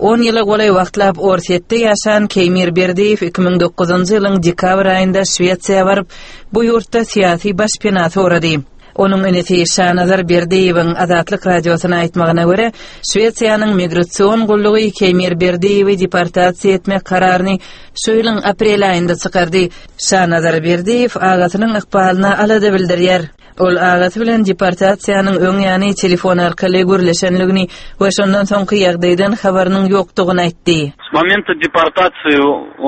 On ýyla golaý wagtlap Orsýetde ýaşan Keýmir Berdiýew 2009-njy ýylyň dekabr aýynda Şwesiýa baryp, bu ýurtda syýasy başpena sorady. Onuň inisi Şanazar Berdiýewiň Azatlyk Radiosyna aýtmagyna görä, Şwesiýanyň migrasion gullugy Keýmir Berdiýewi deportasiýa etmek kararyny şu ýylyň aprel aýynda çykardy. Şanazar Berdiýew agasynyň ykbalyna alada bildirýär. Ol agasy bilen deportasiýanyň öň ýany telefon arkaly gürleşenligini we şondan soňky ýagdaýdan habarynyň ýokdugyny aýtdy. S momenta deportации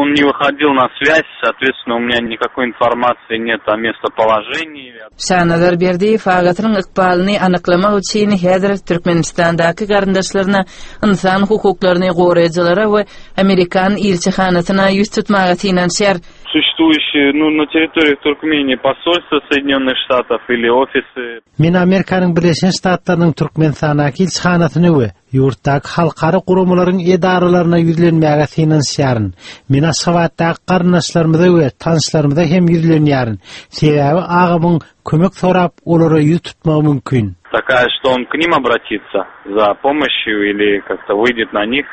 он не выходил на связь, соответственно, у меня никакой информации нет о местоположении. Şanazar Berdiýew agasynyň ykbalyny anyklamak üçin häzir Türkmenistandaky garyndaşlaryna, ynsan hukuklaryny goraýjylara we amerikan ilçihanasyna ýüz tutmaga synanyşýar. Существующие, ну, на территории Туркмении посольства Соединенных Штатов или офисы. Men Amerikanyň Birleşen Ştatlarynyň Türkmenistandaky ilçihanasyna we ýurtdaky halkara guramalaryň edaralaryna ýüzlenmäge synanyşýaryn. Men Aşgabatdaky garyndaşlarymyza we tanyşlarymyza hem ýüzlenýärin. Sebäbi agamyň kömek sorap olara ýüz tutmagy mümkin. Такая, что он к ним обратится за помощью или как-то выйдет на них.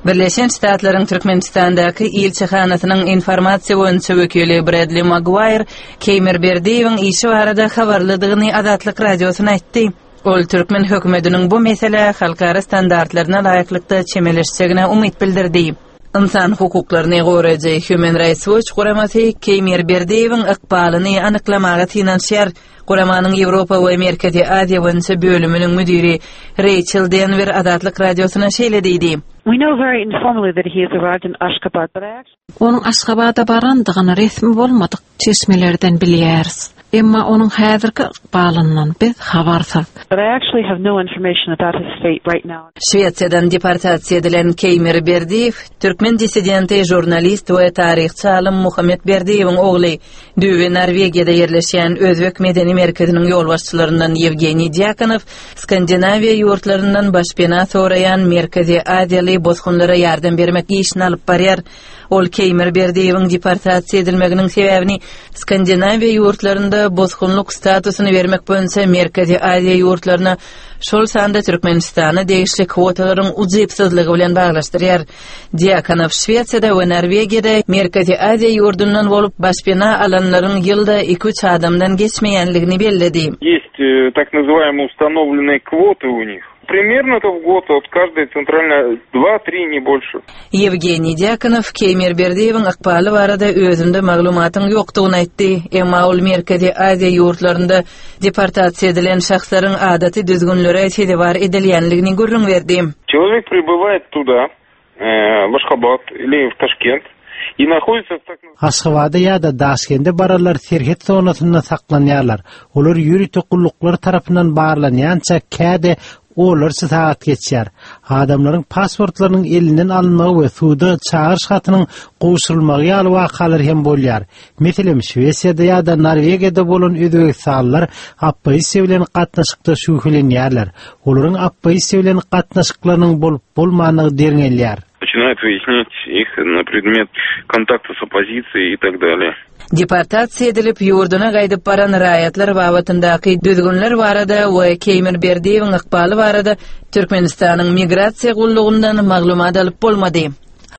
Birleşen Ştatlaryň Türkmenistandaky ilçihanasynyň informasiýa boýunça wekili Bredli Maguaýr Keýmir Berdiýewiň işi barada habarlydygyny Azatlyk Radiosyna aýtdy. Ol türkmen hökümetiniň bu meselä halkara standartlaryna laýyklykda çemeleşjegine umyt bildirdi. Ynsan hukuklaryny goraýjy Human Rights Watch guramasy Keýmir Berdiýewiň ykbalyny anyklamaga synanyşýar. Guramanyň Ýewropa we Merkezi Aziýa boýunça bölüminiň müdiri Reýçel Denwer Azatlyk Radiosyna şeýle diýdi. We know very informally that he has arrived in Ashgabat, but I actually. Onuň Aşgabada barandygyny resmi bolmadyk çeşmelerden bilýäris. Emma onuň häzirki ykbalyndan biz habarsyz. But I actually have no information about his fate right now. Şwesiýadan deportasiýa edilen Keýmir Berdiýew, türkmen dissidenti, žurnalist we taryhçy alym Muhammet Berdiýewiň ogly. Düýbi Norwegiýada ýerleşýän Özbek medeni merkeziniň ýolbaşçylaryndan Ýewgeniý Dýakonow Skandinawiýa ýurtlaryndan başpena soraýan Merkezi Aziýaly bosgunlara ýardam bermek işini alyp barýar. Ol Keýmir Berdiýewiň deportasiýa edilmeginiň sebäbini Skandinawiýa ýurtlarynda bosgunlyk statusyny bermek boýunça Merkezi Aziýa ýurtlaryna, şol sanda Türkmenistana degişli kwotalaryň ujypsyzlygy bilen baglaşdyrýar. Dýakonow Şwesiýada we Norwegiýada Merkezi Aziýa ýurdundan bolup başpena alanlaryň ýylda iki-üç adamdan geçmeýänligini belledi. Есть так называемые установленные квоты у них. Примерно это в год от каждой центральной два-три, не больше. Ýewgeniý Dýakonow Keýmir Berdiýewiň ykbaly barada özünde maglumatyň ýokdugyny aýtdy. Emma ol Merkezi Aziýa ýurtlarynda deportasiýa edilen şahslaryň adaty düzgünlere sezewar edilýänligini gürrüň berdi. Çelowek pribywaet tuda, w Aşgabat ili w Taşkent i nahoditsa w tak. Aşgabada ýa-da Daşkende baranlar serhet zonasynda saklanýarlar. Olar ýörite gulluklar tarapyndan barlanýança käde onlarça sagat geçýär. Adamlaryň pasportlarynyň elinden alynmagy we suda çagyryş hatynyň gowşurylmagy ýaly wakalar hem bolýar. Meselem, Şwesiýada ýa-da Norwegiýada bolan özbegistanlylar oppozisiýa bilen gatnaşykda şübhelenýärler. Olaryň oppozisiýa bilen gatnaşyklarynyň bolup-bolmandygy derňelýär. Начинают выяснять их на предмет kontakta s oppozisiýey i tak dalее. Deportasiýa edilip, ýurduna gaýdyp baran raýatlar babatyndaky düzgünler barada we Keýmir Berdiýewiň ykbaly barada Türkmenistanyň Migrasiýa gullugyndan maglumat alyp bolmady.